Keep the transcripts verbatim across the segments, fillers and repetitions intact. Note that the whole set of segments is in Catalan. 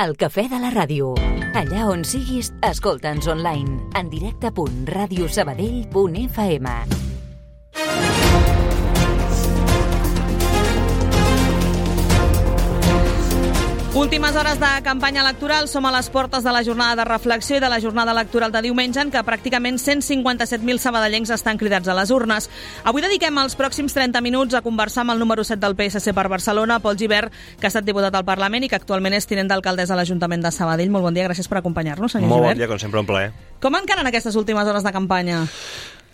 El cafè de la ràdio. Allà on siguis, escolta'ns online. En directe punt ràdio sabadell punt f m. Últimes hores de campanya electoral. Som a les portes de la jornada de reflexió i de la jornada electoral de diumenge, en què pràcticament cent cinquanta-set mil sabadellencs estan cridats a les urnes. Avui dediquem els pròxims trenta minuts a conversar amb el número set del P S C per Barcelona, Pol Gibert, que ha estat diputat al Parlament i que actualment és tinent d'alcaldessa a l'Ajuntament de Sabadell. Molt bon dia, gràcies per acompanyar-nos, senyor Molt Gibert. bon dia, com sempre, un plaer. Com encaren aquestes últimes hores de campanya?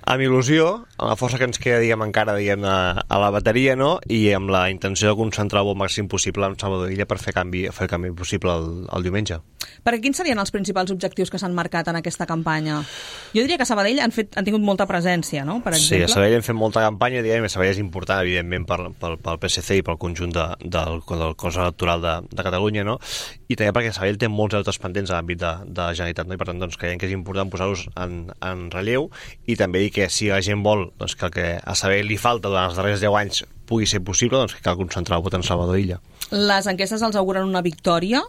Amb il·lusió, amb la força que ens queda, diguem, encara, diguem, a, a la bateria, no? I amb la intenció de concentrar-ho el màxim possible en Salvador Illa per fer, canvi, fer el canvi possible el, el diumenge. Perquè quins serien els principals objectius que s'han marcat en aquesta campanya? Jo diria que a Sabadell han, fet, han tingut molta presència, no? Per exemple. Sí, a Sabadell hem fet molta campanya, diguem, i Sabadell és important, evidentment, pel, pel, pel P S C i pel conjunt de, del, del cos electoral de, de Catalunya, no? I també perquè Sabadell té molts altres pendents a l'àmbit de, de la Generalitat, no? I per tant, doncs, creiem que és important posar-los en, en relleu i també dir que si la gent vol doncs, que el que a Sabadell li falta durant els darrers deu anys pugui ser possible, doncs que cal concentrar el vot en Salvador Illa. Les enquestes els auguren una victòria.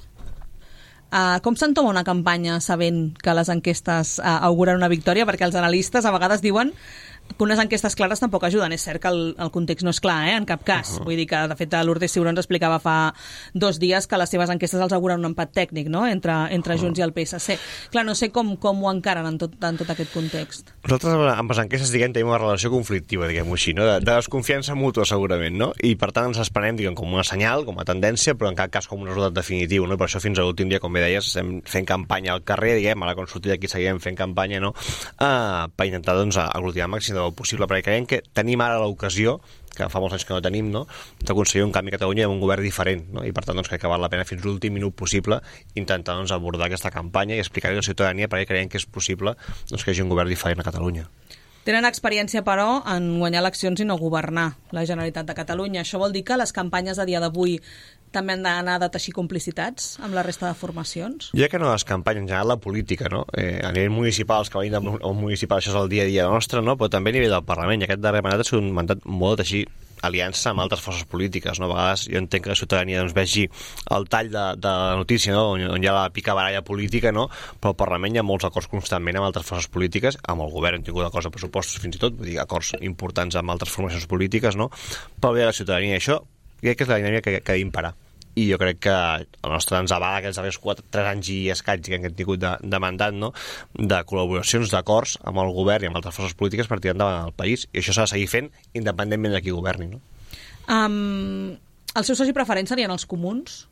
Uh, com s'entoma una campanya sabent que les enquestes uh, auguren una victòria? Perquè els analistes a vegades diuen que unes enquestes clares tampoc ajuden. És cert que el, el context no és clar, eh? En cap cas. Uh-huh. Vull dir que, de fet, Lourdes Ciuró ens explicava fa dos dies que les seves enquestes els auguren un empat tècnic, no? Entre, entre uh-huh. Junts i el P S C. Clar, no sé com, com ho encaren en tot, en tot aquest context. Nosaltres amb les enquestes, diguem, tenim una relació conflictiva, diguem-ho així, no? De, de desconfiança mútua, segurament, no? I, per tant, ens esperem, diguem, com una senyal, com a tendència, però en cap cas com un resultat definitiu, no? Per això, fins a l'últim dia, com bé deies, estem fent campanya al carrer, diguem, ara quan sortim d'aquí seguirem fent campanya, no? Uh, per intentar, doncs, aglutinar el màxim del possible, perquè creiem que tenim ara l'ocasió, que fa molts anys que no tenim, no?, d'aconseguir un canvi a Catalunya amb un govern diferent, no? I per tant, doncs, crec que val la pena fins l'últim minut possible intentar, doncs, abordar aquesta campanya i explicar-li a la ciutadania perquè creiem que és possible, doncs, que hi hagi un govern diferent a Catalunya. Tenen experiència, però, en guanyar eleccions i no governar la Generalitat de Catalunya. Això vol dir que les campanyes a dia d'avui també han d'anar de teixir complicitats amb la resta de formacions? Jo crec que no les campanyes, en general la política, no? Eh, a nivell municipal, els que venim del municipal, això és el dia a dia nostre, no? Però també a nivell del Parlament. I aquest darrer mandat ha sigut un mandat molt de teixir aliances amb altres forces polítiques, no? A vegades jo entenc que la ciutadania doncs, vegi el tall de, de la notícia, no? on, on hi ha la picabaralla política, no? Però al Parlament hi ha molts acords constantment amb altres forces polítiques, amb el govern hem tingut acords de pressupostos fins i tot, vull dir, acords importants amb altres formacions polítiques, no? Però bé, la ciutadania, això crec que és la dinàmica que, que ha d'imperar. I jo crec que el nostre ens avala aquests darrers quatre, tres anys i escaig que hem tingut de, de mandat, no? De col·laboracions, d'acords amb el govern i amb altres forces polítiques per tirar endavant el país, i això s'ha de seguir fent independentment de qui governi, no? Um, el seu soci preferent serien els comuns?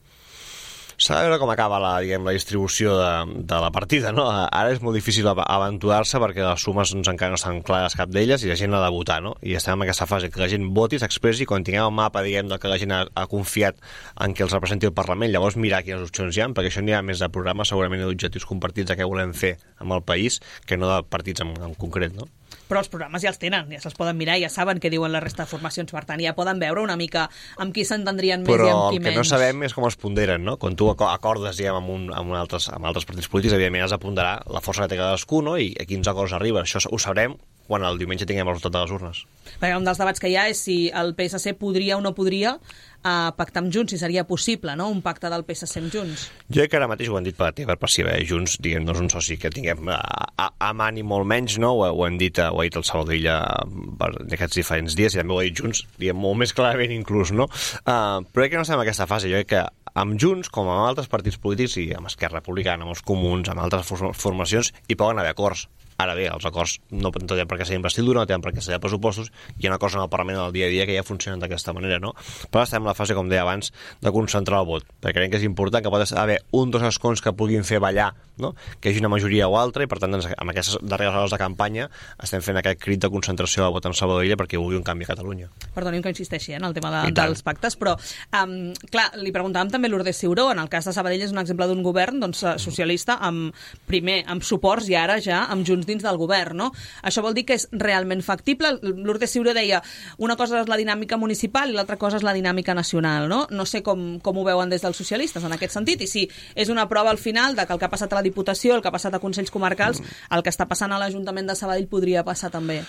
S'ha de veure com acaba la, diguem, la distribució de, de la partida, no? Ara és molt difícil aventurar-se perquè les sumes doncs, encara no estan clares cap d'elles i la gent ha de votar, no? I estem en aquesta fase que la gent voti, s'expressi, i quan tinguem el mapa, diguem, que la gent ha, ha confiat en que els representi el Parlament, llavors mirar quines opcions hi ha, perquè això n'hi ha més de programes, segurament d'objectius compartits de què volem fer amb el país, que no de partits en, en concret, no? Però els programes ja els tenen, ja se'ls poden mirar, ja saben què diuen la resta de formacions, per tant ja poden veure una mica amb qui s'entendrien més però i amb qui menys. Però el que no sabem és com es ponderen, no? Quan tu acordes, diguem, amb, un, amb, un altres, amb altres partits polítics, evidentment has de ponderar la força que té cadascú, no? I a quins acords arriba. Això ho sabrem quan el diumenge tinguem el resultat de les urnes. Perquè un dels debats que hi ha és si el P S C podria o no podria uh, pactar amb Junts, si seria possible, no?, un pacte del P S C amb Junts. Jo crec que ara mateix ho han dit per activa, per passiva, eh? Junts, diguem, no és un soci que tinguem a, a, a mà ni molt menys, no? Ho, ho hem dit, ho ha dit el Salvador Illa en aquests diferents dies, i també ho ha dit Junts, diguem, molt més clarament inclús, no? Uh, però crec que no estem en aquesta fase. Jo crec que amb Junts, com amb altres partits polítics, i amb Esquerra Republicana, amb els comuns, amb altres formacions, hi poden haver acords. Ara bé, els acords no tenen per què ser investidura, no tenen per què ser pressupostos, hi ha acords en el Parlament del dia a dia que ja funcionen d'aquesta manera, no? Però estem en la fase, com deia abans, de concentrar el vot, perquè creiem que és important que pot haver un dos escons que puguin fer ballar, no?, que hi hagi una majoria o altra, i per tant, doncs, amb aquestes darreres hores de campanya estem fent aquest crit de concentració del vot en Salvador Illa perquè vulgui un canvi a Catalunya. Perdoni'm que insisteixi eh, en el tema de, dels pactes, però um, clar, li preguntàvem també a Lourdes Ciuró, en el cas de Sabadell és un exemple d'un govern doncs, socialista, amb, primer amb suports i ara ja amb Junts dins del govern, no? Això vol dir que és realment factible. Lourdes Ciuró deia una cosa és la dinàmica municipal i l'altra cosa és la dinàmica nacional, no? No sé com, com ho veuen des dels socialistes en aquest sentit, i si és una prova al final de que el que ha passat a la Diputació, el que ha passat a Consells Comarcals, el que està passant a l'Ajuntament de Sabadell podria passar també.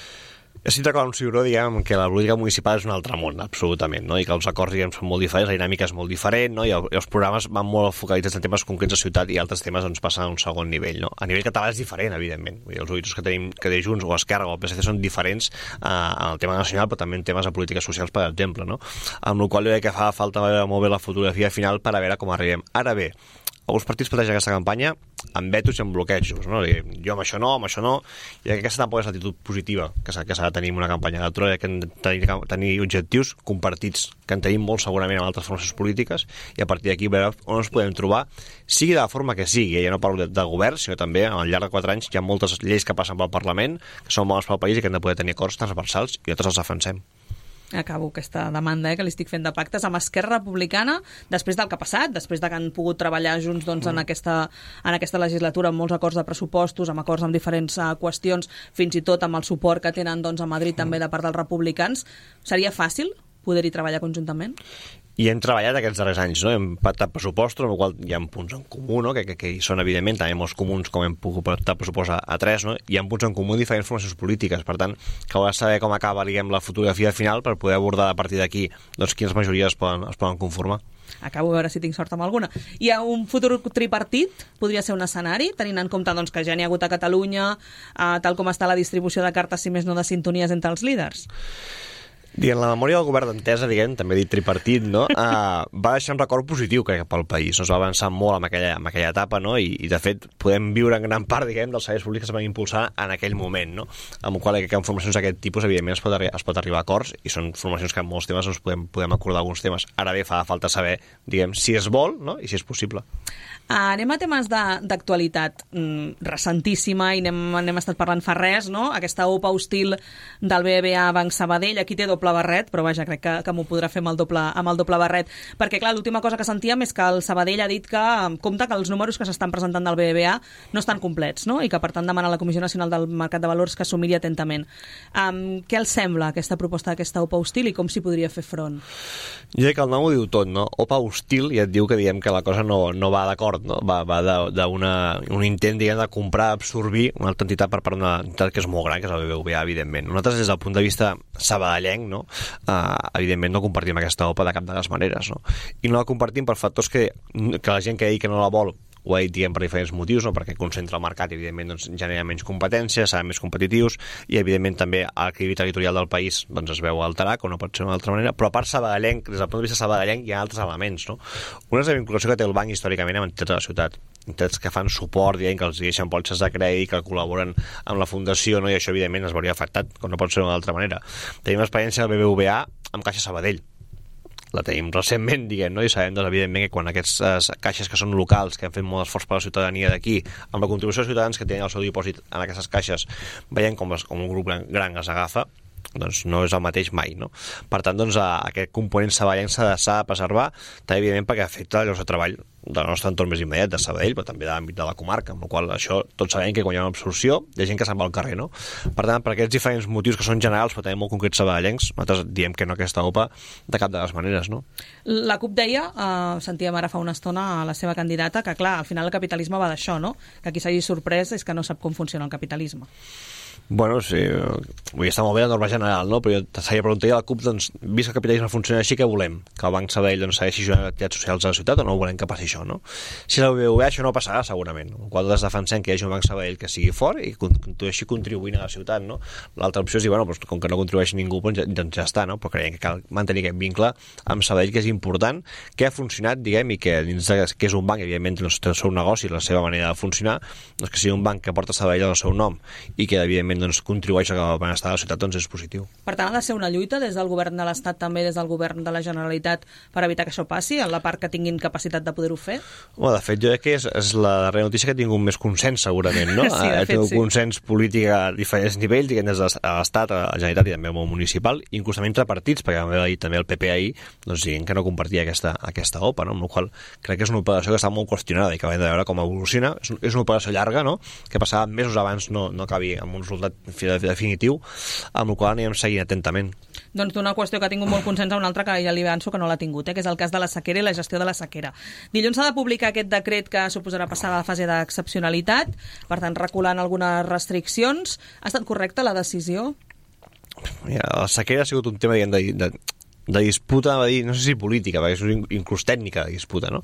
Estic d'acord amb Ciuró, diguem, que la política municipal és un altre món, absolutament, no? I que els acords, diguem, són molt diferents, la dinàmica és molt diferent, no? I, el, i els programes van molt focalitzats en temes concrets de ciutat i altres temes doncs, passen a un segon nivell, no? A nivell català és diferent, evidentment. Vull dir, els horitzons que tenim que de Junts o Esquerra o el P S C són diferents eh, en el tema nacional, però també en temes de polítiques socials, per exemple, no? Amb la qual cosa jo crec que fa falta veure molt bé la fotografia final per a veure com arribem. Ara bé, alguns partits plantegen aquesta campanya amb vetos i amb bloquejos, no? Jo amb això no, amb això no, i aquesta tampoc és l'actitud positiva que s'ha de tenir en una campanya electoral, que hem de tenir, tenir objectius compartits, que en tenim molt segurament amb altres formacions polítiques, i a partir d'aquí veure on ens podem trobar, sigui de la forma que sigui, ja no parlo de, de govern, sinó també al llarg de quatre anys hi ha moltes lleis que passen pel Parlament, que són bones pel país i que hem de poder tenir acords transversals, i nosaltres els defensem. Acabo aquesta demanda eh, que li estic fent de pactes amb Esquerra Republicana després del que ha passat, després de que han pogut treballar junts doncs, en, aquesta, en aquesta legislatura amb molts acords de pressupostos, amb acords amb diferents uh, qüestions, fins i tot amb el suport que tenen doncs, a Madrid també de part dels republicans. Seria fàcil poder-hi treballar conjuntament? I hem treballat aquests darrers anys, no? Hem pactat pressupostos, amb el qual hi ha punts en comú, no? que, que, que hi són, evidentment, també molts comuns, com hem pogut pactar pressupost a, a tres, no? Hi ha punts en comú diferents formacions polítiques, per tant, cal saber com acaba, diguem, la fotografia final per poder abordar a partir d'aquí doncs, quines majories es poden, es poden conformar. Acabo de veure si tinc sort amb alguna. Hi ha un futur tripartit? Podria ser un escenari, tenint en compte doncs, que ja n'hi ha hagut a Catalunya, eh, tal com està la distribució de cartes, si més no de sintonies entre els líders? Diguem, la memòria del govern d'Entesa, diguem, també dit tripartit, no? Uh, va deixar un record positiu, crec, pel país. Ens va avançar molt en aquella, en aquella etapa, no? I, I, de fet, podem viure en gran part, diguem, dels serveis públics que es van impulsar en aquell moment, no? Amb el qual crec que en formacions d'aquest tipus, evidentment, es pot, es pot arribar a acords, i són formacions que en molts temes ens podem, podem acordar alguns temes. Ara bé, fa falta saber, diguem, si es vol, no? I si és possible. Uh, anem a temes d'actualitat mm, recentíssima, i n'hem, n'hem estat parlant fa res, no? Aquesta O P A hostil del B B V A Banc Sabadell, aquí té doble barret, però vaja, crec que, que m'ho podrà fer amb el, doble, amb el doble barret, perquè clar, l'última cosa que sentíem és que el Sabadell ha dit que compta que els números que s'estan presentant del B B V A no estan complets, no? I que per tant demana a la Comissió Nacional del Mercat de Valors que s'ho miri atentament. Um, què els sembla aquesta proposta d'aquesta O P A hostil i com s'hi podria fer front? Jo crec que el nom ho diu tot, no? O P A hostil ja et diu que diem que la cosa no, no va d'acord, no? Va, va d'un intent, diguem, de comprar, absorbir una altra entitat per part d'una entitat que és molt gran, que és el B B V A, evidentment. Nosaltres, des del punt de vista sabadellenc, no? Uh, evidentment no compartim aquesta O P A de cap de les maneres, no? I no la compartim per factors que, que la gent que digui que no la vol ho ha dit, diguem, per diferents motius, no? Perquè concentra el mercat i, evidentment, doncs, genera menys competències, seran més competitius, i, evidentment, també l'equilibri territorial del país doncs, es veu alterar, com no pot ser d'una altra manera, però a part sabadellenc, des del punt de vista sabadellenc, hi ha altres elements, no? Una és la vinculació que té el banc històricament amb entitats de la ciutat, entitats que fan suport, diguem, que els deixen polses de crèdit, que col·laboren amb la fundació, no? I això, evidentment, es veuria afectat, com no pot ser d'una altra manera. Tenim l'experiència del B B V A amb Caixa Sabadell, la tenim recentment, diguem, no? I sabem, doncs, evidentment, que quan aquestes caixes que són locals, que han fet molt esforç per la ciutadania d'aquí, amb la contribució dels ciutadans que tenen el seu dipòsit en aquestes caixes, veiem com, les, com un grup gran, gran es agafa, doncs no és el mateix mai, no? Per tant, doncs, aquest component sabadellenc s'ha de preservar, també, evidentment, perquè afecta llocs de treball del nostre entorn més immediat, de Sabadell, però també de l'àmbit de la comarca, amb la qual això tots sabem que quan hi ha una absorció hi ha gent que se'n va al carrer, no? Per tant, per aquests diferents motius que són generals, però també molt concrets sabadellencs, nosaltres diem que no aquesta O P A de cap de les maneres, no? La CUP deia, eh, sentíem ara fa una estona a la seva candidata, que clar, al final el capitalisme va d'això, no? Que qui s'hagi sorprès és que no sap com funciona el capitalisme. Bueno, sí, vull estar molt bé la norma general, no? Però jo s'havia preguntat a la CUP, doncs, vist que el capitalisme funciona així, què volem? Que el Banc Sabadell doncs, segueixi jugant activitats socials a la ciutat o no volem que passi això, no? Si la B B V A això no passarà, segurament. En qual nosaltres defensem que hi hagi un Banc Sabadell que sigui fort i que així contribuint a la ciutat, no? L'altra opció és dir, bueno, doncs, com que no contribueix ningú, doncs ja, doncs ja està, no? Però creiem que cal mantenir aquest vincle amb Sabadell, que és important, que ha funcionat, diguem, i que dins de, que és un banc, evidentment, doncs, té el seu negoci, la seva manera de funcionar, doncs que sigui un banc que porta Sabadell al seu nom i que, evidentment, doncs, contribueix a el benestar de la ciutat, doncs és positiu. Per tant, ha de ser una lluita des del govern de l'Estat, també des del govern de la Generalitat, per evitar que això passi, en la part que tinguin capacitat de poder-ho fer? Bueno, de fet, jo crec que és, és la darrera notícia que ha tingut més consens, segurament, no? Sí, de ha fet, tingut sí. consens polític a diferents nivells, diguem, des de l'Estat, a la Generalitat i també al món municipal, inclús també entre partits, perquè també el P P ahir, doncs diguem que no compartia aquesta, aquesta O P A, no? Amb la qual crec que és una operació que està molt qüestionada i que hem de veure com evoluciona. És, és una operació llarga, no? Que passava mesos abans no, no acabi amb un resultat definitiu, amb el qual anirem seguint atentament. Doncs d'una qüestió que ha tingut molt consens a una altra que ja li avanço que no l'ha tingut, eh, que és el cas de la sequera i la gestió de la sequera. Dilluns s'ha de publicar aquest decret que suposarà passar a la fase d'excepcionalitat, per tant reculant algunes restriccions. Ha estat correcta la decisió? la sequera ha sigut un tema, diguem, de, de, de disputa, va dir, no sé si política, perquè és inclús tècnica de disputa, no?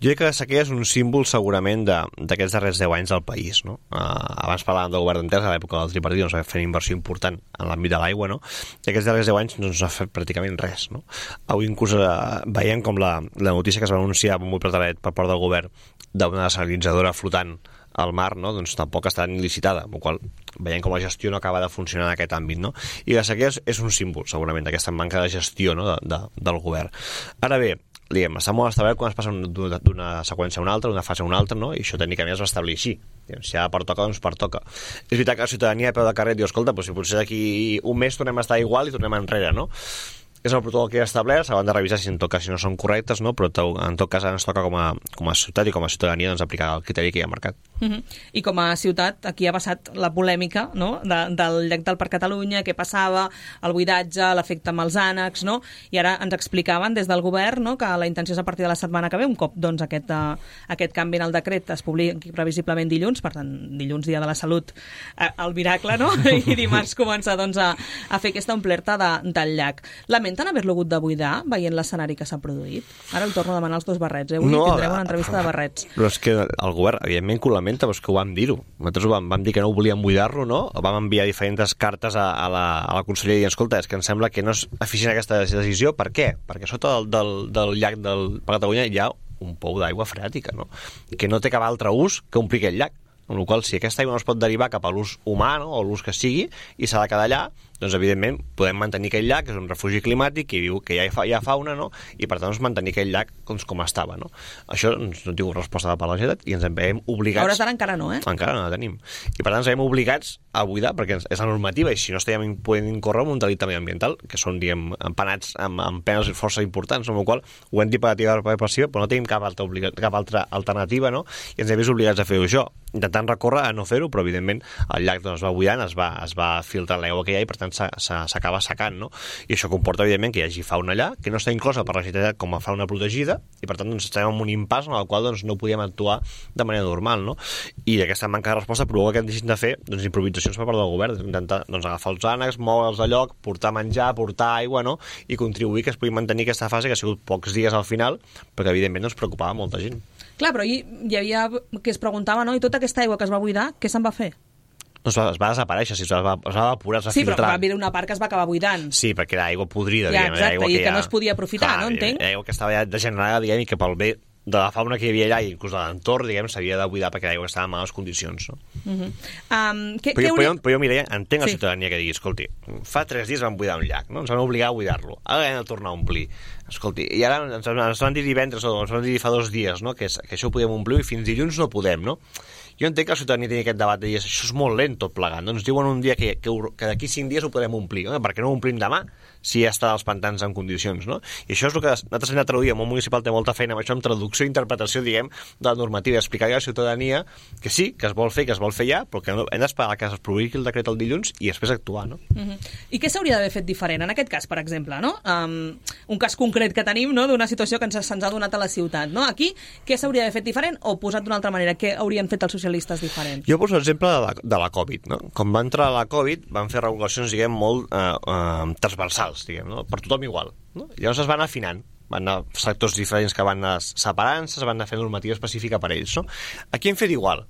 Jo crec que la sequera és un símbol segurament d'aquests darrers deu anys del país, no? Uh, abans parlàvem del govern d'Entesa, a l'època del tripartit, doncs va fer una inversió important en l'àmbit de l'aigua, no? I aquests darrers deu anys no s'ha fet pràcticament res, no? Avui inclús uh, veiem com la, la notícia que es va anunciar molt per per part del govern d'una desalinitzadora flotant al mar, no? Doncs tampoc està ni licitada, amb la qual veiem com la gestió no acaba de funcionar en aquest àmbit, no? I la sequera és, és un símbol, segurament, d'aquesta manca de gestió, no? de, de, del govern. Ara bé, diguem, està molt establert quan es passa d'una seqüència a una altra, d'una fase a una altra, no? I això tècnicament es va establir així. Si ara pertoca, doncs pertoca. És veritat que la ciutadania a peu de carrer diu, escolta, doncs si potser d'aquí un mes tornem a estar igual i tornem enrere, no? És el protocol que hi ha establert, s'han de revisar si en tot cas si no són correctes, no? Però en tot cas ens toca com a, com a ciutat i com a ciutadania doncs, aplicar el criteri que hi ha marcat. Uh-huh. I com a ciutat, aquí ha passat la polèmica, no? de, del llac del Parc Catalunya, què passava, el buidatge, l'efecte amb els ànecs, no? I ara ens explicaven des del govern, no? Que la intenció és a partir de la setmana que ve, un cop doncs, aquest, uh, aquest canvi en el decret es publiqui previsiblement dilluns, per tant, dilluns, dia de la salut, uh, el miracle, no? I dimarts començar doncs, a, a fer aquesta omplerta de, del llac. Lamenten haver-lo hagut de buidar, veient l'escenari que s'ha produït? Ara el torno a demanar els dos barrets, eh? Avui no, tindrem una entrevista de barrets. Però és que el govern, evidentment, que ho lamenta, però és que ho vam dir-ho. Nosaltres vam, vam dir que no volíem buidar-lo, no? Vam enviar diferents cartes a, a, la, a la conselleria i dir, escolta, és que em sembla que no és eficient aquesta decisió. Per què? Perquè sota del, del, del llac del Parc Catalunya hi ha un pou d'aigua freàtica, no? Que no té cap altre ús que omplir aquest llac. Amb la qual cosa, si aquesta aigua no es pot derivar cap a l'ús humà, no? O l'ús que sigui, i s'ha de quedar allà, doncs evidentment podem mantenir aquell llac, que és un refugi climàtic, que diu que hi ha, hi ha fauna, no? I per tant doncs, mantenir aquell llac doncs, com estava, no? Això doncs, no tinc resposta de per la Generalitat i ens en veiem obligats... A hores d'ara encara no, eh? Encara no la tenim. I per tant ens veiem obligats a buidar, perquè és la normativa, i si no estem podem incórrer en un delicte mediambiental, que són, diguem, empanats amb, amb penes força importants, amb la qual ho hem dit per activa per passiva, però no tenim cap altra, obliga... cap altra alternativa, no? I ens hem vist obligats a fer-ho això, intentant recórrer a no fer-ho, però evidentment el llac doncs, es va buidant, es va, es va filtrar l'aigua que hi ha i per tant s'acaba secant, no? I això comporta evidentment que hi hagi fauna allà, que no està inclosa per la Generalitat com a fauna protegida, i per tant doncs, estem en un impàs en el qual doncs, no podíem actuar de manera normal, no? I aquesta manca de resposta provoca que hem deixat de fer doncs, improvisacions per part del govern, intentar doncs, agafar els ànecs, moure'ls de lloc, portar menjar, portar aigua, no? I contribuir que es pugui mantenir aquesta fase que ha sigut pocs dies al final, perquè evidentment ens preocupava molta gent. Clar, però hi, hi havia que es preguntava, no? I tota aquesta aigua que es va buidar, què se'n va fer? No, es va, es va desaparèixer, es va, es va evaporar, es va sí, filtrar. Sí, però va haver una part que es va acabar buidant. Sí, perquè era aigua podrida. Ja, diguem, exacte, aigua i que, que ja... no es podia aprofitar, Clar, no entenc? Aigua que estava ja degenerada, diguem, i que pel bé de la fauna que hi havia allà i inclús de l'entorn, diguem, s'havia de buidar perquè l'aigua estava en males condicions, no? Uh-huh. um, que, però, que jo, hauria... però, jo, Mireia, entenc la sí. ciutadania que digui, escolti, fa tres dies vam buidar un llac, no? Ens van obligar a buidar-lo, ara hem de tornar a omplir. Escolti, i ara ens, ens van dir divendres o ens van dir fa dos dies, no? Que, que això ho podem omplir i fins dilluns no podem, no? Jo entenc que la ciutadania tingui aquest debat de dir això és molt lent tot plegant, no? Ens diuen un dia que, que, que d'aquí cinc dies ho podem omplir, no? Per què no ho omplim demà si ja està als pantans en condicions, no? I això és el que nosaltres hem de traduir, el món municipal té molta feina amb això, amb traducció i interpretació, diguem, de la normativa, explicar a la ciutadania que sí, que es vol fer, que es vol fer ja, però que no, hem d'esperar que es publiqui el decret el dilluns i després actuar, no? Uh-huh. I què s'hauria d'haver fet diferent? En aquest cas, per exemple, no? Um, un cas concret que tenim, no?, d'una situació que ens, se'ns ha donat a la ciutat, no? Aquí, què s'hauria d'haver fet diferent? O posat d'una altra manera, què haurien fet els socialistes diferents? Jo poso l'exemple de, la, de la Covid, no? Quan va entrar la Covid van fer regulacions, diguem, molt eh, eh, transversals, diguem, no? Per tothom igual, no? Llavors es van afinant, van anar sectors diferents que van anar separant-se, es van anar fent normativa específica per ells, no? Aquí hem fet igual,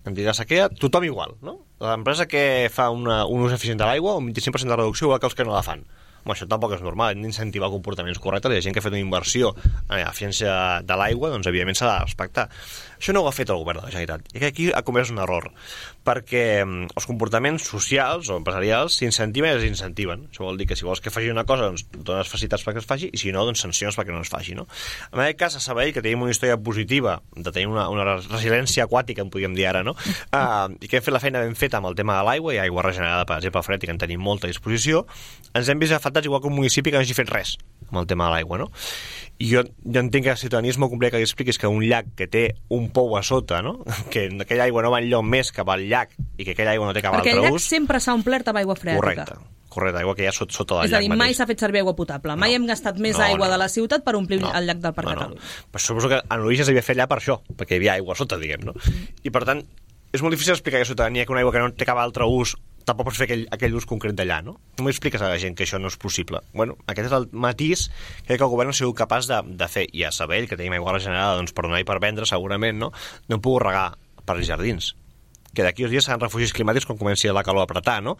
hem dit la sequera, tothom igual, no? L'empresa que fa una, un ús eficient de l'aigua, un vint-i-cinc per cent de reducció, igual que els que no la fan. Home, això tampoc és normal, hem d'incentivar comportaments correctes, i la gent que ha fet una inversió en l'eficiència de l'aigua, doncs evidentment s'ha de respectar. Això no ho ha fet el govern de la Generalitat, i que aquí ha comès un error, perquè els comportaments socials o empresarials s'incentiven i es incentiven. Això vol dir que si vols que faci una cosa, doncs dones facilitats perquè es faci, i si no, doncs sancions perquè no es faci, no? En aquest cas, a Sabadell, que tenim una història positiva, de tenir una, una resiliència aquàtica, en podríem dir ara, no? Uh, i que hem fet la feina ben feta amb el tema de l'aigua, i aigua regenerada, per exemple, frètica, en tenim molta disposició, ens hem vist afectats igual que un municipi que no hagi fet res amb el tema de l'aigua, no? I jo, jo entenc que el ciutadania és molt complicat que li expliquis que un llac que té un pou a sota, no? Que aquella aigua no va enlloc més que va al llac i que aquella aigua no té cap Perquè altre ús... Perquè el llac sempre s'ha omplert amb aigua freàtica. Correcte, correcte, aigua que hi ha sota, sota del llac mateix. És a dir, mai s'ha fet servir aigua potable, mai no. hem gastat més no, aigua no. de la ciutat per omplir no. el llac del Parc no, no. Catalunya. Però suposo que en l'origen s'havia fet allà per això, perquè hi havia aigua a sota, diguem, no? Mm. I per tant, és molt difícil explicar a la ciutadania que una aigua que no té cap altre ús tampoc pots fer aquell, aquell ús concret d'allà, no? Com expliques a la gent que això no és possible? Bueno, aquest és el matís que el govern ha sigut capaç de, de fer. I a Sabadell, que tenim aigua regenerada, doncs per donar i per vendre, segurament, no? No hem pogut regar per els jardins, que d'aquí uns dies seran refugis climàtics quan comenci la calor a apretar, no?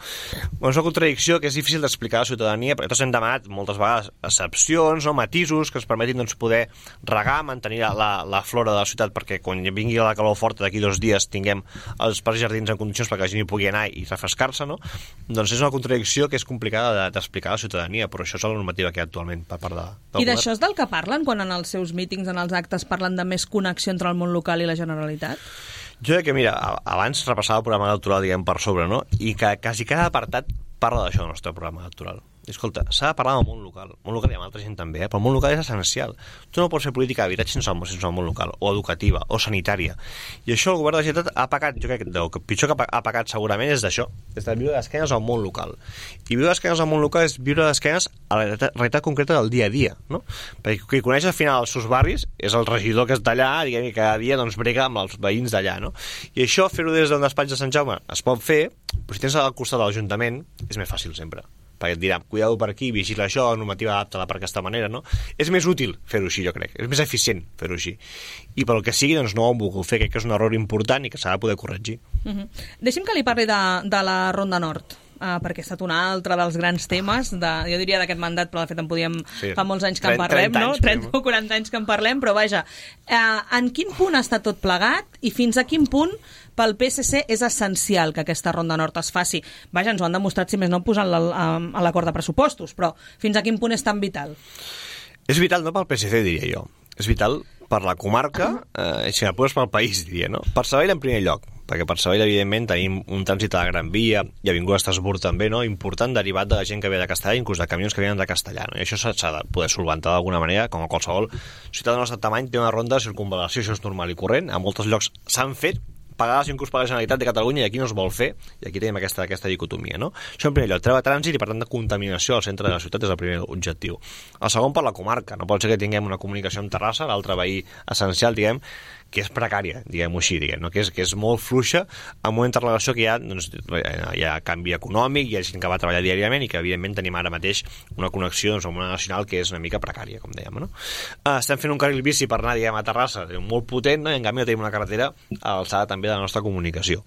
Bueno, és una contradicció que és difícil d'explicar a la ciutadania, perquè tots hem demanat moltes vegades excepcions, no? Matisos que ens permetin doncs, poder regar, mantenir la, la flora de la ciutat, perquè quan vingui la calor forta d'aquí dos dies tinguem els parcs jardins en condicions perquè la gent hi pugui anar i refrescar-se, no? Doncs és una contradicció que és complicada d'explicar a la ciutadania, però això és la normativa que hi ha actualment per part de, del I d'això és del que parlen quan en els seus mítings, en els actes, parlen de més connexió entre el món local i la Generalitat? Jo crec que, mira, abans repassava el programa electoral, diguem, per sobre, no? I que quasi cada apartat parla d'això, el nostre programa electoral. I, escolta, s'ha de parlar del món local. El món local hi ha altra gent també, eh? Però el món local és essencial. Tu no pots fer política d'habitatge sense, sense el món local, o educativa, o sanitària. I això el govern de la Generalitat ha pagat, jo crec que el pitjor que ha pagat segurament és d'això, és de viure d'esquenes al món local. I viure d'esquenes al món local és viure d'esquenes a la realitat, realitat concreta del dia a dia, no? Perquè qui coneix al final els seus barris és el regidor que és d'allà, diguem, i cada dia doncs brega amb els veïns d'allà, no? I això, fer-ho des d'un despatx de Sant Jaume es pot fer, però si tens al costat de l'Ajuntament és més fàcil sempre, perquè et dirà, cuidado per aquí, vigila això, normativa adapta-la per aquesta manera, no? És més útil fer-ho així, jo crec, és més eficient fer-ho així. I pel que sigui, doncs no ho hem volgut fer, crec que és un error important i que s'ha de poder corregir. Uh-huh. Deixi'm que li parli de, de la Ronda Nord, uh, perquè ha estat un altre dels grans temes, de, jo diria d'aquest mandat, però de fet en podíem, sí. fa molts anys que en parlem, no? trenta o quaranta anys que en parlem, però vaja, uh, en quin punt ha estat tot plegat i fins a quin punt pel P S C és essencial que aquesta Ronda Nord es faci? Vaja, ens ho han demostrat, si més no, posant-la a l'acord de pressupostos, però fins a quin punt és tan vital? És vital no pel P S C, diria jo. És vital per la comarca, eh, si m'apures pel país, diria, no? Per Sabadell en primer lloc, perquè per Sabadell, evidentment, tenim un trànsit a la Gran Via i Avinguda Estrasburg també, no? Important, derivat de la gent que ve de Castellà, inclús de camions que venen de Castellà, no? I això s'ha de poder solventar d'alguna manera, com a qualsevol ciutat del nostre tamany té una ronda de circunvalació, això és normal i corrent, a molts llocs s'han fet, pagades inclús per la Generalitat de Catalunya, i aquí no es vol fer, i aquí tenim aquesta, aquesta dicotomia, no? Això en primer lloc, treure trànsit i per tant de contaminació al centre de la ciutat és el primer objectiu. El segon, per la comarca, no pot ser que tinguem una comunicació amb Terrassa, l'altre veí essencial, diguem, que és precària, diguem-ho així, diguem, no? que, és, que és molt fluixa amb una interrelació que hi ha, doncs, hi ha canvi econòmic, hi ha gent que va treballar diàriament i que evidentment tenim ara mateix una connexió doncs, amb una nacional que és una mica precària, com dèiem, no? Uh, estem fent un carril bici per anar, diguem, a Terrassa, molt potent, no? I en canvi no tenim una carretera a l'alçada també de la nostra comunicació.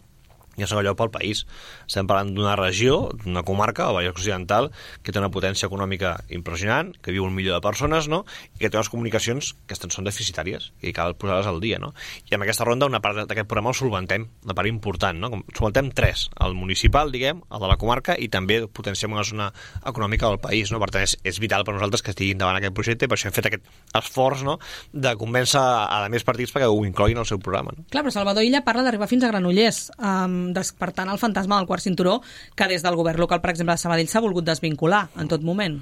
I en segon lloc pel país. Estem parlant d'una regió, d'una comarca, el Vallès Occidental, que té una potència econòmica impressionant, que viu un milió de persones, no? I que té unes comunicacions que són deficitàries i cal posar-les al dia, no? I amb aquesta ronda una part d'aquest programa el solventem, una part important, no? Solventem tres, el municipal, diguem, el de la comarca, i també potenciem una zona econòmica del país, no? Per tant, és, és vital per nosaltres que estigui endavant aquest projecte, i per això hem fet aquest esforç, no?, de convèncer a, a més partits perquè ho incloguin al seu programa, no? Clar, però Salvador Illa parla d'arribar fins a Granollers, um, despertant el fantasma del quart cinturó que des del govern local, per exemple, de Sabadell s'ha volgut desvincular en tot moment.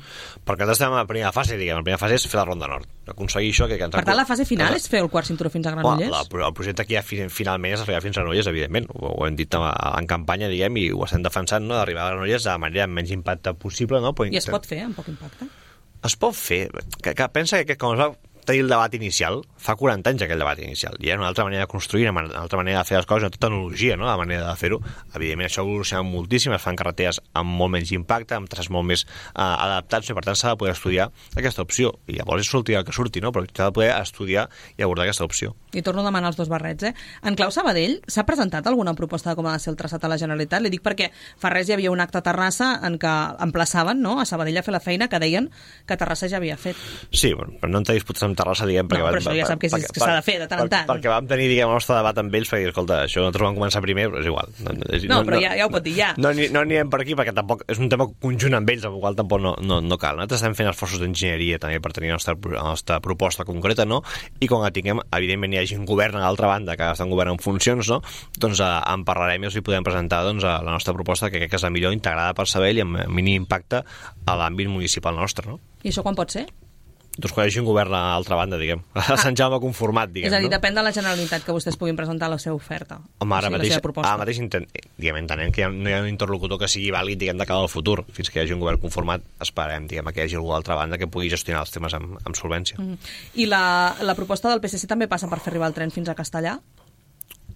Perquè estem a la primera fase, diguem. La primera fase és fer la Ronda Nord. Aconseguir això que... que per tant, la fase final és fer el quart cinturó fins a Granollers? La, la, el projecte que hi ha finalment és arribar fins a Granollers, evidentment. Ho, ho hem dit en campanya, diguem, i ho estem defensant, no?, d'arribar a Granollers de la manera amb menys impacte possible, no? Però I es pot fer amb poc impacte? Es pot fer. Que, que pensa que, que com es va tenir el debat inicial, fa quaranta anys aquell debat inicial, hi ha una altra manera de construir, una altra manera de fer les coses, una tecnologia, no?, la manera de fer-ho. Evidentment això ha evolucionat moltíssim, es fan carreteres amb molt menys impacte, amb traçats molt més eh, adaptats, i per tant s'ha de poder estudiar aquesta opció, i llavors és sortir el que surti, no?, però s'ha de poder estudiar i abordar aquesta opció. I torno a demanar els dos barrets, eh? En clau Sabadell, s'ha presentat alguna proposta de com ha de ser el traçat a la Generalitat? Li dic perquè fa res hi havia un acte a Terrassa en què emplaçaven, no?, a Sabadell a fer la feina que deien que Terrassa ja havia fet. Sí, bueno, però no en té disputats amb Terrassa, diguem, perquè no, però això ja sap que s'ha de fer de tant en tant. Perquè vam tenir, diguem, el nostre debat amb ells, perquè, escolta, això nosaltres vam començar primer, però és igual. No, no però ja, ja ho pot dir, ja. No, no, no anirem per aquí, perquè tampoc és un tema conjunt amb ells, amb el qual tampoc no, no, no cal. Nosaltres estem fent esforços d'enginyeria també per tenir la nostra, la nostra proposta concreta, no? I quan la tinguem, evidentment hi hagi un govern a l'altra banda, que està un govern en funcions, no? Doncs eh, en parlarem i els hi podem presentar, doncs, la nostra proposta, que crec que és la millor, integrada per Sabadell i amb mínim impacte a l'àmbit municipal nostre, no? I això quan pot ser? Doncs quan hi hagi un govern a l'altra banda, diguem. A ah. Sant Jaume conformat, diguem. És a dir, no? Depèn de la Generalitat que vostès puguin presentar la seva oferta. Home, ara o sigui, mateix, la seva proposta. ara mateix intent, diguem, entenem que no hi ha un interlocutor que sigui vàlid, diguem, de cara al futur. Fins que hi hagi un govern conformat, esperem, diguem, que hi hagi algú a l'altra banda que pugui gestionar els temes amb, amb solvència. Mm. I la, la proposta del P S C també passa per fer arribar el tren fins a Castellà?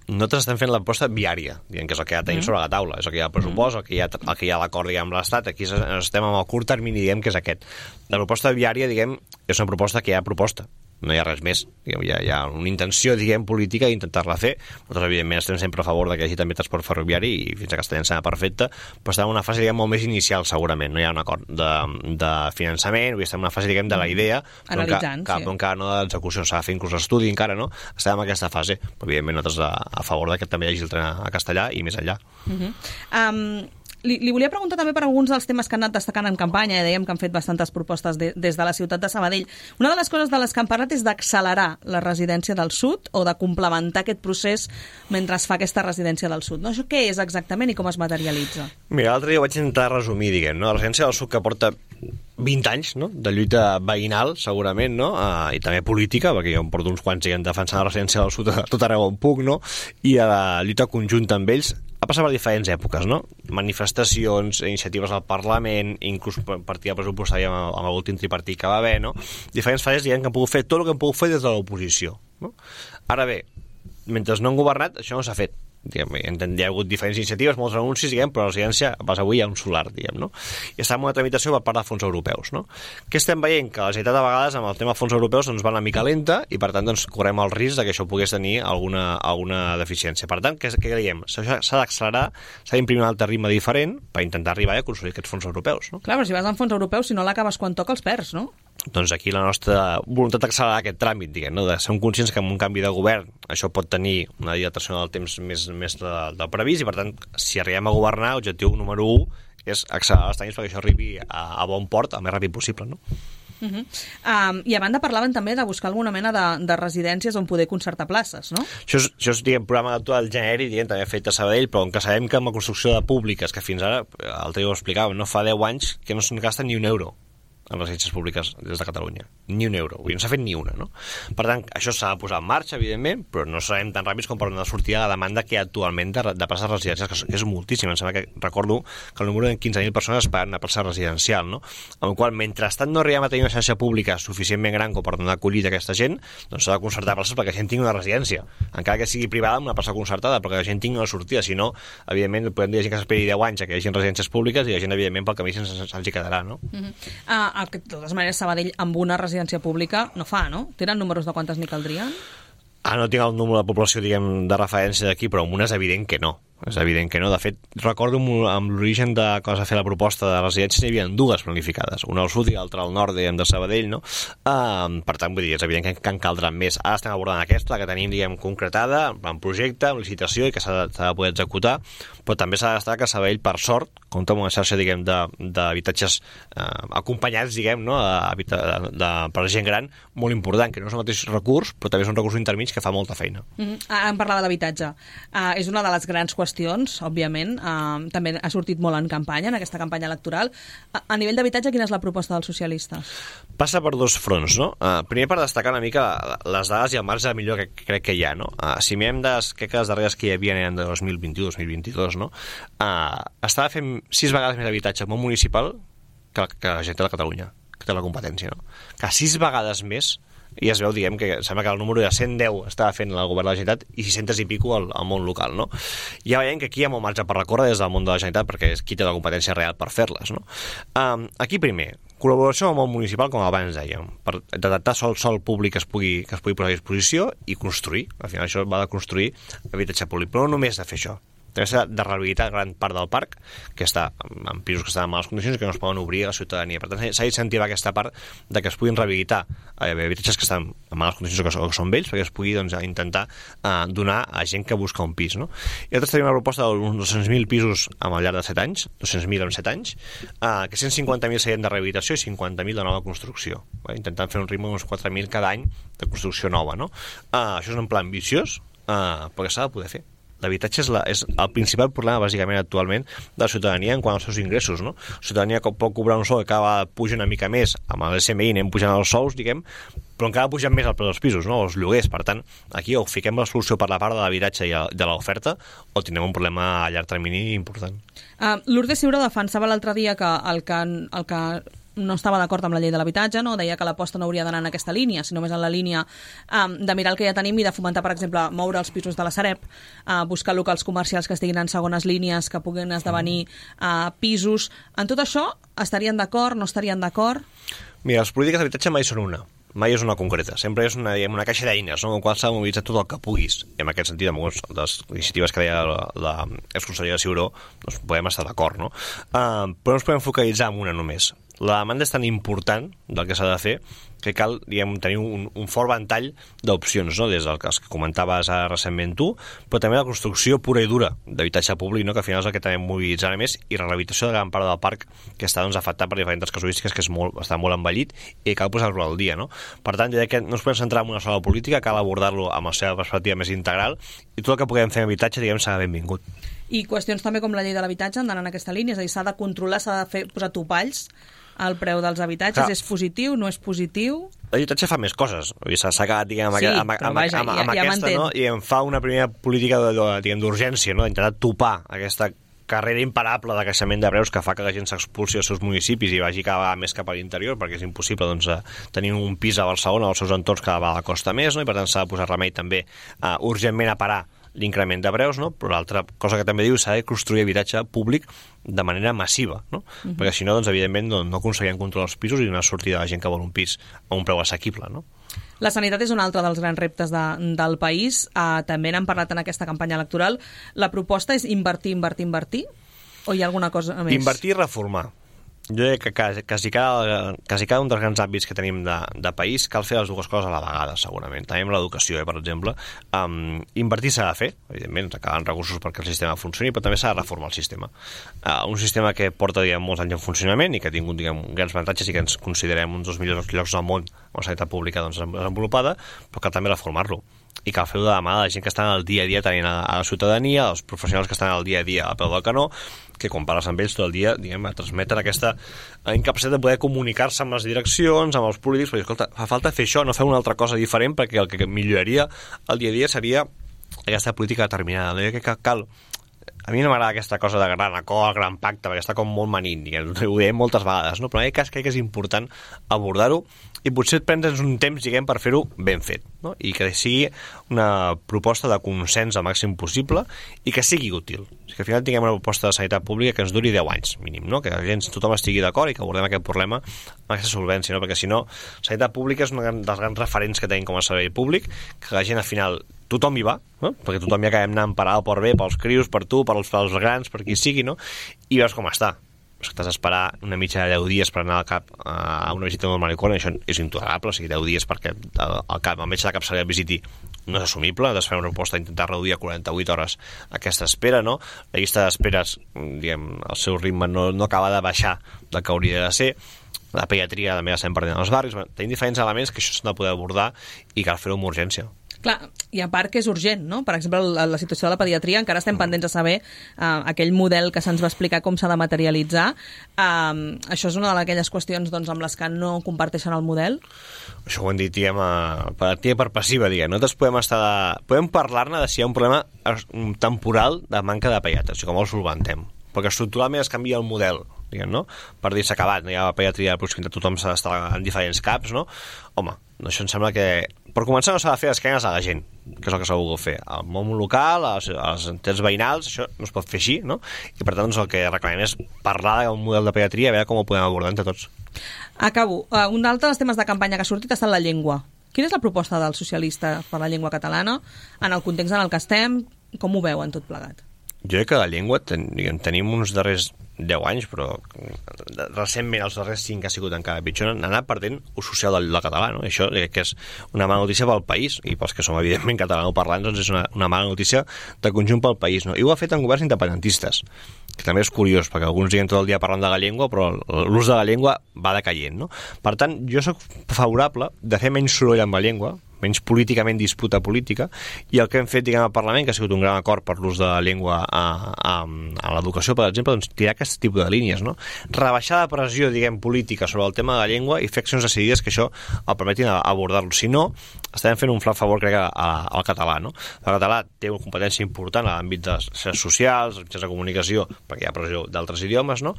nosaltres estem fent la proposta viària, diguem que és el que ja tenim mm. sobre la taula, és el que hi ha el pressupost, el que hi ha, el que hi ha l'acord, diguem, amb l'Estat, aquí estem amb el curt termini, diguem, que és aquest. La proposta viària, diguem, és una proposta que hi ha proposta, no hi ha res més, diguem, hi, ha, hi ha una intenció, diguem, política d'intentar-la fer. Nosaltres, evidentment, estem sempre a favor de que hi hagi també transport ferroviari i fins a Castellà em sembla perfecte, però estem en una fase, diguem, molt més inicial, segurament, no hi ha un acord de, de finançament, o estem en una fase, diguem, de la idea, però encara, sí. però encara no de l'execució, s'ha de fer inclús estudi, encara no, estem en aquesta fase, però evidentment nosaltres a, a favor de que també hi hagi el tren a Castellà i més enllà. Uh-huh. Um... Li, li volia preguntar també per alguns dels temes que han anat destacant en campanya, i dèiem que han fet bastantes propostes de, des de la ciutat de Sabadell. Una de les coses de les que han parlat és d'accelerar la residència del sud o de complementar aquest procés mentre es fa aquesta residència del sud. No? Això què és exactament i com es materialitza? Mira, l'altre dia ho vaig intentar resumir, diguem, no? La residència del sud que porta vint anys, no?, de lluita veïnal, segurament, no?, uh, i també política, perquè jo em porto uns quants diguem, defensant la residència del sud a tot arreu on puc, no?, i a la lluita conjunta amb ells, ha passat per diferents èpoques, no?, manifestacions, iniciatives al Parlament, inclús partida pressupostària amb, amb l'últim tripartit que va haver, no?, diferents fases, diguem, que han pogut fer tot el que han pogut fer des de l'oposició, no? Ara bé, mentre no han governat, això no s'ha fet. Diguem, hi ha hagut diferents iniciatives, molts anuncis, diguem, però la residència, pas avui hi ha un solar, diguem, no? I està en una tramitació per part de fons europeus, no? Què estem veient? Que la Generalitat de vegades amb el tema de fons europeus doncs va una mica lenta i per tant doncs correm el risc de que això pogués tenir alguna, alguna deficiència. Per tant, què, què creiem? S'ha d'accelerar, s'ha d'imprimir un altre ritme diferent per intentar arribar a aconseguir aquests fons europeus, no? Clar, però si vas en fons europeus, si no l'acabes quan toca els perds, no? Doncs aquí la nostra voluntat d'accelerar aquest tràmit, diguem, no? De ser conscients que amb un canvi de govern això pot tenir una dilatació del temps més, més de, del previst i, per tant, si arribem a governar, l'objectiu número u és accelerar els tràmits perquè això arribi a, a bon port el més ràpid possible, no? Uh-huh. um, I a banda parlaven també de buscar alguna mena de, de residències on poder concertar places, no? Això és, això és diguem, programa actual genèric, diguem, també fet a Sabadell, però on que sabem que amb la construcció de públiques, que fins ara, l'altre dia ho explicàvem, no fa deu anys que no se'n gasta ni un euro en les residències públiques des de Catalunya. Ni un euro. Vull dir, no s'ha fet ni una, no? Per tant, això s'ha de posar en marxa, evidentment, però no serem tan ràpids com per donar sortida a la demanda que hi ha actualment de, de places residencials, que és moltíssima. Em sembla que recordo que el número de quinze mil persones esperen una plaça residencial, no? Amb la qual, mentrestant no arribem a tenir una xarxa pública suficientment gran com per donar acollida a aquesta gent, doncs s'ha de concertar places perquè la gent tingui una residència. Encara que sigui privada, amb una plaça concertada, perquè la gent tingui una sortida. Si no, evidentment, podem dir que s'esperi deu anys a que hi hagi residències públiques i la gent, evidentment, pel camí se'ls quedarà, no? Uh-huh. uh, que de totes maneres Sabadell amb una residència pública no fa, no? Tenen números de quantes n'hi caldrien? Ah, no tinc el número de població, diguem, de referència d'aquí, però amb una és evident que no. És evident que no. De fet, recordo amb l'origen de quan es va fer la proposta de residències hi havia dues planificades, una al sud i l'altra al nord, diguem, de Sabadell, no? Uh, per tant, vull dir, és evident que, que en caldran més. Ara estem abordant aquesta, la que tenim, diguem, concretada, en projecte, en licitació i que s'ha de, de poder executar, però també s'ha de destacar que Sabadell, per sort, compta amb una xarxa, diguem, d'habitatges uh, acompanyats, diguem, no? De, de, de, per gent gran, molt important, que no és el mateix recurs, però també és un recurs intermig que fa molta feina. Mm-hmm. Ara em parlava d'habitatge. Uh, és una de les grans qüestions qüestions, òbviament, uh, també ha sortit molt en campanya, en aquesta campanya electoral. A, a nivell d'habitatge, quina és la proposta dels socialistes? Passa per dos fronts, no? Uh, primer, per destacar una mica les dades i el marge millor que crec que hi ha, no? Uh, si mirem des, crec que les darreres que hi havia eren de dos mil vint-i-u dos mil vint-i-dos, no? Uh, estava fent sis vegades més habitatge al món municipal que, que la Generalitat de Catalunya, que té la competència, no? Que sis vegades més, i es veu, diguem, que sembla que el número de cent deu estava fent el govern de la Generalitat i sis cents i pico al, al món local, no? Ja veiem que aquí hi ha molt marge per recórrer des del món de la Generalitat perquè és qui té la competència real per fer-les, no? Um, aquí primer, col·laboració amb el món municipal, com abans dèiem, per detectar sol, sol públic que es, pugui, que es pugui posar a disposició i construir. Al final això va de construir habitatge públic, però no només de fer això. També s'ha de rehabilitar gran part del parc, que està en pisos que estan en males condicions i que no es poden obrir a la ciutadania. Per tant, s'ha d'incentivar aquesta part de que es puguin rehabilitar eh, habitatges que estan en males condicions o que, o que són vells, perquè es pugui doncs, intentar eh, donar a gent que busca un pis, no? I nosaltres tenim una proposta d'uns dos-cents mil pisos al llarg de set anys, dos-cents mil en set anys, eh, que cent cinquanta mil serien de rehabilitació i cinquanta mil de nova construcció, eh? Intentant fer un ritme d'uns quatre mil cada any de construcció nova, no? Eh, això és un pla ambiciós, eh, però que s'ha de poder fer. L'habitatge és, la, és el principal problema, bàsicament, actualment, de la ciutadania en quant als seus ingressos, no? La ciutadania pot cobrar un sou que cada puja una mica més, amb l'S M I anem pujant els sous, diguem, però encara pugen més el preu dels pisos, no? Els lloguers. Per tant, aquí o fiquem la solució per la part de l'habitatge i de l'oferta o tindrem un problema a llarg termini important. Uh, Lourdes Ciuró defensava l'altre dia que el que... El que no estava d'acord amb la llei de l'habitatge, no? Deia que l'aposta no hauria d'anar en aquesta línia, sinó més en la línia um, de mirar el que ja tenim i de fomentar, per exemple, moure els pisos de la Sareb, uh, buscar locals comercials que estiguin en segones línies, que puguin esdevenir uh, pisos. En tot això, estarien d'acord, no estarien d'acord? Mira, les polítiques d'habitatge mai són una. Mai és una concreta, sempre és una, diguem, una caixa d'eines, no? En qual s'ha de mobilitzar tot el que puguis. I en aquest sentit, amb algunes de les iniciatives que deia l'exconsellera Ciuró, doncs podem estar d'acord, no? Uh, però no ens podem focalitzar en una només. La demanda és tan important del que s'ha de fer que cal, diguem, tenir un, un fort ventall d'opcions, no? Des del que comentaves ara recentment tu, però també la construcció pura i dura d'habitatge públic, no? Que al final és el que també mobilitzarà més, i la rehabilitació de gran part del parc que està, doncs, afectat per diferents casuístiques, que és molt, està molt envellit i cal posar-lo al dia, no? Per tant, jo crec que no ens podem centrar en una sola política, cal abordar-lo amb la seva perspectiva més integral, i tot el que puguem fer en habitatge, diguem, serà benvingut. I qüestions també com la llei de l'habitatge han d'anar en aquesta línia, és a dir, s'ha de controlar, s'ha de fer, posar topalls al preu dels habitatges. Clar. És positiu, no és positiu? L'habitatge fa més coses. S'ha acabat, diguem, amb, sí, amb, amb, vaja, amb, amb, ja, amb ja aquesta, no? I em fa una primera política d'urgència, no? D'intentar topar aquesta carrera imparable de creixement de preus que fa que la gent s'expulsi als seus municipis i vagi cada vegada més cap a l'interior, perquè és impossible, doncs, tenir un pis a Barcelona o als seus entorns cada vegada costa més, no? I per tant s'ha de posar remei també uh, urgentment a parar l'increment de preus, no? Però l'altra cosa que també diu s'ha de construir habitatge públic de manera massiva, no? Uh-huh. Perquè si no, doncs, evidentment, no, no aconseguirem controlar els pisos i una sortida de la gent que vol un pis a un preu assequible, no? La sanitat és un altre dels grans reptes de, del país. Uh, també n'han parlat en aquesta campanya electoral. La proposta és invertir, invertir, invertir? O hi ha alguna cosa més? Invertir i reformar. Jo crec que quasi, quasi, cada, quasi cada un dels grans àmbits que tenim de, de país cal fer les dues coses a la vegada, segurament. També amb l'educació, eh, per exemple. Um, invertir s'ha de fer, evidentment, calen recursos perquè el sistema funcioni, però també s'ha de reformar el sistema. Uh, un sistema que porta, diguem, molts anys en funcionament i que ha tingut, diguem, grans avantatges i que ens considerem uns dels millors llocs del món amb la sanitat pública, doncs, desenvolupada, però cal també reformar-lo. I cal fer-ho de la mà de la gent que està en el dia a dia tenint a, a la ciutadania, els professionals que estan al dia a dia a peu del canó, que quan parles amb ells tot el dia, diguem, a transmetre aquesta incapacitat de poder comunicar-se amb les direccions, amb els polítics, perquè, escolta, fa falta fer això, no fer una altra cosa diferent, perquè el que milloraria el dia a dia seria aquesta política determinada. No? Que cal... A mi no m'agrada aquesta cosa de gran acord, gran pacte, perquè està com molt manint, diguem, ho dèiem moltes vegades, no? Però en aquest cas crec que és important abordar-ho i potser prendre'ns un temps, diguem, per fer-ho ben fet, no? I que sigui una proposta de consens al màxim possible i que sigui útil. O sigui, que al final tinguem una proposta de sanitat pública que ens duri deu anys, mínim, no? Que la gent, tothom estigui d'acord i que abordem aquest problema amb aquesta solvència, no? Perquè si no, sanitat pública és un dels grans referents que tenim com a servei públic, que la gent al final tothom hi va, no? Perquè tothom ja acabem anant per A o per B, pels crius, per tu, per els, pels grans, per qui sigui, no? I veus com està. És que t'has d'esperar una mitja de deu dies per anar al cap a una visita del manicom, això és intolerable, o sigui, deu dies perquè el, cap, el metge de capçalera et visiti no és assumible, has de fer una proposta d'intentar reduir a quaranta-vuit hores aquesta espera, no? La llista d'esperes, diguem, el seu ritme no, no acaba de baixar del que hauria de ser, la pediatria també la estem perdent als barris, tenim diferents elements que això s'han de poder abordar i cal fer-ho amb urgència. Clar, i a part que és urgent, no? Per exemple, la, la situació de la pediatria, encara estem pendents de saber uh, aquell model que se'ns va explicar com s'ha de materialitzar. Uh, això és una d'aquelles qüestions, doncs, amb les que no comparteixen el model? Això ho hem dit, diguem, uh, per activa i per passiva, diguem. Nosaltres podem estar de... podem parlar-ne de si hi ha un problema temporal de manca de pediatres, com el solventem. Perquè estructuralment es canvia el model, diguem, no? Per dir s'ha acabat, no hi ha pediatria de proximitat, tothom s'ha d'estar en diferents caps, no? Home, això em sembla que... Per començar no s'ha de fer esquenes a la gent, que és el que s'ha volgut fer. Al món local, a les, a les entitats veïnals, això no es pot fer així, no? I per tant, doncs, el que reclamem és parlar d'un model de pediatria, a veure com ho podem abordar entre tots. Acabo. Uh, un d'altres temes de campanya que ha sortit ha estat la llengua. Quina és la proposta del socialista per la llengua catalana en el context en el que estem? Com ho veuen tot plegat? Jo crec que la llengua ten, diguem, tenim uns darrers deu anys, però recentment els darrers cinc ha sigut encara pitjor, han anat perdent ús social del, del català, no? Això crec que és una mala notícia pel país, i pels que som evidentment catalanoparlants, doncs és una, una mala notícia de conjunt pel país, no? I ho ha fet en governs independentistes, que també és curiós, perquè alguns diguen tot el dia parlant de la llengua, però l'ús de la llengua va decaient, no? Per tant, jo sóc favorable de fer menys soroll amb la llengua, menys políticament disputa política, i el que hem fet, diguem, al Parlament, que ha sigut un gran acord per l'ús de la llengua a, a, a l'educació, per exemple, doncs tirar aquest tipus de línies, no? Rebaixar la pressió, diguem, política sobre el tema de la llengua i fer accions decidides que això el permetin abordar-lo. Si no, estem fent un flac favor, crec, al català, no? El català té una competència important a l'àmbit de xarxes socials, mitjans de comunicació, perquè hi ha pressió d'altres idiomes, no?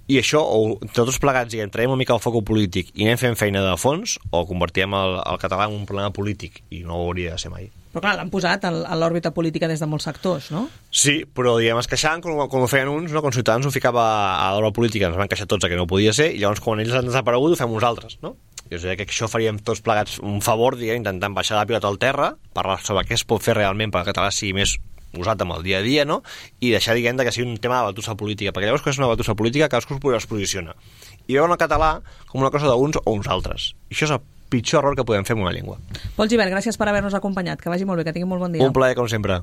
I això, o tots plegats, diguem, traiem una mica el foc polític i anem fent feina de fons, o convertirem el, el català en un problema polític, i no ho hauria de ser mai. Però clar, l'han posat a l'òrbita política des de molts sectors, no? Sí, però diguem, es queixaven com, com ho feien uns, no? Quan Ciutadans ho ficava a l'òrbita política, ens van queixar tots que no podia ser, i llavors quan ells han desaparegut ho fem uns altres, no? Jo crec que això faríem tots plegats un favor, diguem, intentant baixar la pilota al terra, parlar sobre què es pot fer realment perquè el català sigui més usat amb el dia a dia, no? I deixar, diguem, que sigui un tema de batussa política, perquè llavors quan és una batussa política cadascú es posiciona i veuen el català com una cosa d'uns o uns altres, i això és el pitjor error que podem fer amb una llengua. Pol Gibert, gràcies per haver-nos acompanyat, que vagi molt bé, que tingui molt bon dia. Un plaer, com sempre.